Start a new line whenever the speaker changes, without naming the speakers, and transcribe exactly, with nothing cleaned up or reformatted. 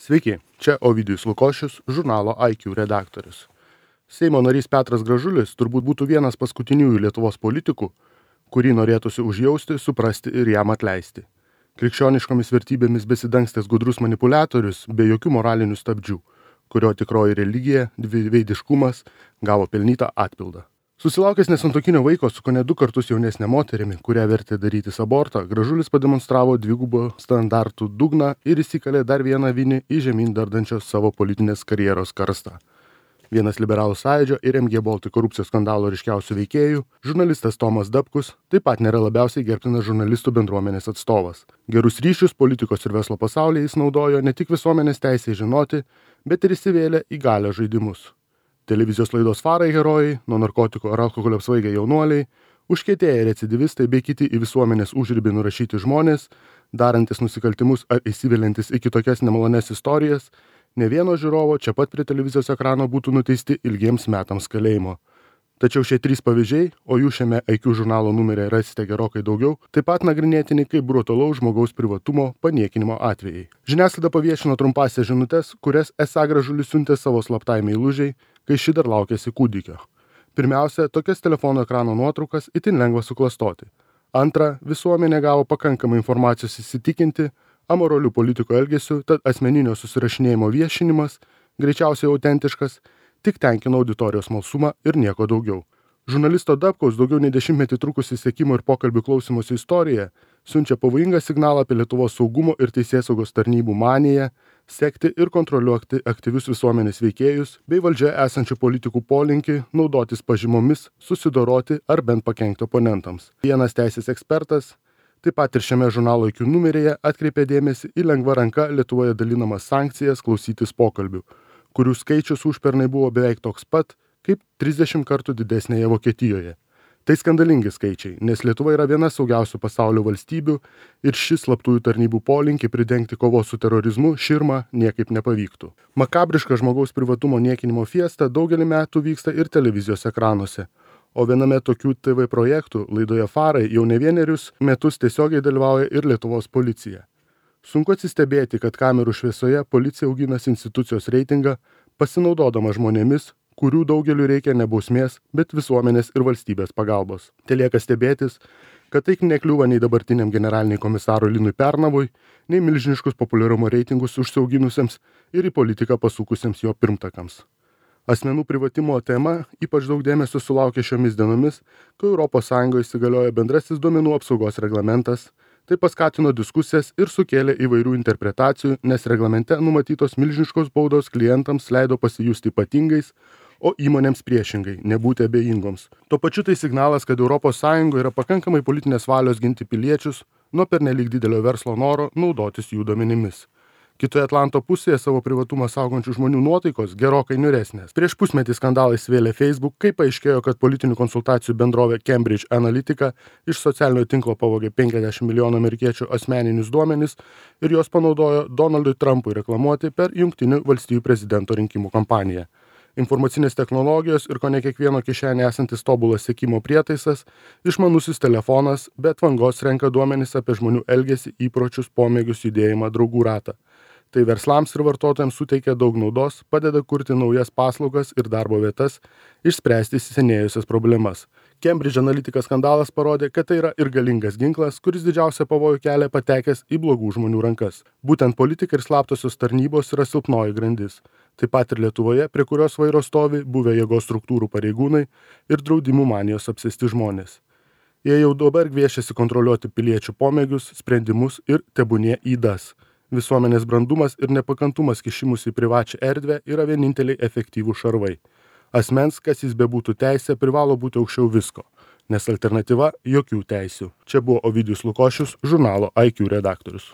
Sveiki, čia Ovidijus Lukošius, žurnalo I Q redaktorius. Seimo narys Petras Gražulis turbūt būtų vienas paskutiniųjų Lietuvos politikų, kurį norėtųsi užjausti, suprasti ir jam atleisti. Krikščioniškomis vertybėmis besidangstęs gudrus manipuliatorius be jokių moralinių stabdžių, kurio tikroji religija, dviveidiškumas gavo pelnytą atpildą. Susilaukęs nesantuokinio vaiko su kone du kartus jaunesnė moterimi, kurią vertė darytis abortą, Gražulis pademonstravo dvigubo standartų dugną ir įsikalė dar vieną vinį į žemyn dardančios savo politinės karjeros karstą. Vienas liberalų sąjūdžio ir M G Baltic korupcijos skandalo ryškiausių veikėjų, žurnalistas Tomas Dapkus, taip pat nėra labiausiai gerbtinas žurnalistų bendruomenės atstovas. Gerus ryšius politikos ir verslo pasaulyje jis naudojo ne tik visuomenės teisei žinoti, bet ir įsivėlė į galią žaidimus. Televizijos laidos Farai herojai, nuo narkotikų ar alkoholio apsvaigę jaunuoliai, užkietėję recidivistai bei kiti į visuomenės užribį nurašyti žmonės, darantis nusikaltimus ar įsiveliantis į kitokias nemalones istorijas, ne vieno žiūrovo čia pat prie televizijos ekrano būtų nuteisti ilgiems metams kalėjimo. Tačiau šie trys pavyzdžiai, o jų šiame I Q žurnalo numeryje rasite gerokai daugiau, taip pat nagrinėtini kaip brutalaus žmogaus privatumo paniekinimo atvejai. Žiniasklaida paviešino trumpąsias žinutes, kurias esą Gražulis siuntė savo slaptai meilužiai, kai ši dar laukėsi kūdikio. Pirmiausia, tokias telefono ekrano nuotraukas itin lengva suklastoti. Antra, visuomenė gavo pakankamai informacijos įsitikinti amoralių politikų elgesių, tad asmeninio susirašinėjimo viešinimas, greičiausiai autentiškas, tik tenkino auditorijos smalsumą ir nieko daugiau. Žurnalisto Dapkaus daugiau nei dešimtmetį trukusi sekimo ir pokalbių klausymosi istorija siunčia pavojingą signalą apie Lietuvos saugumo ir teisėsaugos tarnybų maniją, sekti ir kontroliuoti aktyvius visuomenės veikėjus bei valdžioje esančių politikų polinkį naudotis pažymomis, susidoroti ar bent pakenkti oponentams. Vienas teisės ekspertas, taip pat ir šiame žurnalo I Q numeryje atkreipė dėmesį į lengva ranka Lietuvoje dalinamas sankcijas klausytis pokalbių, kurių skaičius užpernai buvo beveik toks pat, kaip trisdešimt kartų didesnėje Vokietijoje. Tai skandalingi skaičiai, nes Lietuva yra viena saugiausių pasaulio valstybių ir šis slaptųjų tarnybų polinkį pridengti kovos su terorizmu širma niekaip nepavyktų. Makabriška žmogaus privatumo niekinimo fiesta daugelį metų vyksta ir televizijos ekranuose, o viename tokių T V projektų laidoje Farai jau ne vienerius metus tiesiogiai dalyvauja ir Lietuvos policija. Sunku atsistebėti, kad kamerų šviesoje policija auginas institucijos reitingą, pasinaudodama žmonėmis, kurių daugeliu reikia ne bausmės, bet visuomenės ir valstybės pagalbos. Telieka stebėtis, kad tai nekliūva nei dabartiniam generaliniai komisarui Linui Pernavui, nei milžiniškus populiarumo reitingus užsiauginusiems ir į politiką pasukusiems jo pirmtakams. Asmenų privatimo tema ypač daug dėmesio sulaukė šiomis dienomis, kai Europos Sąjungoje įsigaliojo bendrasis duomenų apsaugos reglamentas. Tai paskatino diskusijas ir sukėlė įvairių interpretacijų, nes reglamente numatytos milžiniškos baudos klientams leido pasijusti ypatingais, o įmonėms priešingai, nebūti abejingoms. Tuo pačiu tai signalas, kad Europos Sąjungoje yra pakankamai politinės valios ginti piliečius nuo pernelyg didelio verslo noro naudotis jų duomenimis. Kitoje Atlanto pusėje savo privatumą saugančių žmonių nuotaikos gerokai niūresnės. Prieš pusmetį skandalais vėlė Facebook, kai paaiškėjo, kad politinių konsultacijų bendrovė Cambridge Analytica iš socialinio tinklo pavogė penkiasdešimt milijonų amerikiečių asmeninius duomenis ir juos panaudojo Donaldui Trumpui reklamuoti per Jungtinių valstijų prezidento rinkimų kampaniją. Informacinės technologijos ir kone kiekvieno kišenė esantis tobulas sekimo prietaisas, išmanusis telefonas, bet vangos renka duomenis apie žmonių elgesį, įpročius, pomėgius, judėjimą, draugų ratą. Tai verslams ir vartotojams suteikia daug naudos, padeda kurti naujas paslaugas ir darbo vietas, išspręsti įsisenėjusias problemas. Cambridge Analytica skandalas parodė, kad tai yra ir galingas ginklas, kuris didžiausią pavojų kelia patekęs į blogų žmonių rankas. Būtent politika ir slaptosios tarnybos yra silpnoji grandis. Taip pat ir Lietuvoje, prie kurios vairo stovi buvę jėgos struktūrų pareigūnai ir draudimų manijos apsėsti žmonės. Jie jau dabar gviešiasi kontroliuoti piliečių pomėgius, sprendimus ir tebūnie ydas. Visuomenės brandumas ir nepakantumas kišimus į privačią erdvę yra vieninteliai efektyvūs šarvai. Asmens, kas jis bebūtų teisė, privalo būti aukščiau visko, nes alternatyva jokių teisių. Čia buvo Ovidijus Lukošius, žurnalo I Q redaktorius.